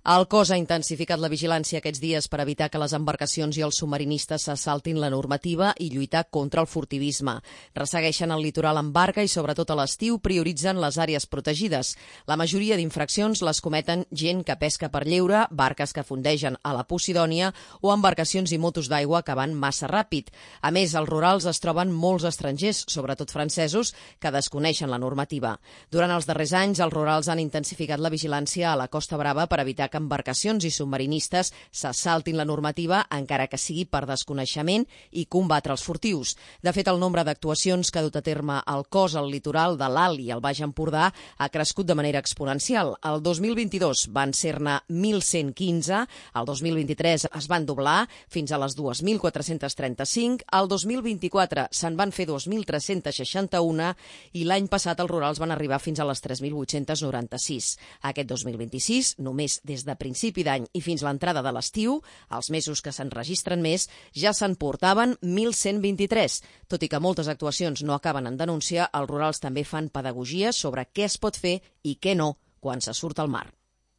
El cos ha intensificat la vigilància aquests dies per evitar que les embarcacions i els submarinistes s'assaltin la normativa i lluitar contra el furtivisme. Ressegueixen el litoral amb barca i, sobretot a l'estiu, prioritzen les àrees protegides. La majoria d'infraccions les cometen gent que pesca per lleure, barques que fondegen a la Posidònia o embarcacions i motos d'aigua que van massa ràpid. A més, als rurals es troben molts estrangers, sobretot francesos, que desconeixen la normativa. Durant els darrers anys, els rurals han intensificat la vigilància a la Costa Brava per evitar que embarcacions i submarinistes s'assaltin la normativa, encara que sigui per desconeixement, i combatre els furtius. De fet, el nombre d'actuacions que ha dut a terme el cos al litoral de l'Alt i el Baix Empordà ha crescut de manera exponencial. El 2022 van ser-ne 1.115, el 2023 es van doblar fins a les 2.435, el 2024 se'n van fer 2.361 i l'any passat els rurals van arribar fins a les 3.896. Aquest 2026, només des de principi d'any i fins l'entrada de l'estiu, els mesos que se'n registren més, ja se'n portaven 1.123. Tot i que moltes actuacions no acaben en denúncia, els rurals també fan pedagogia sobre què es pot fer i què no quan se surt al mar.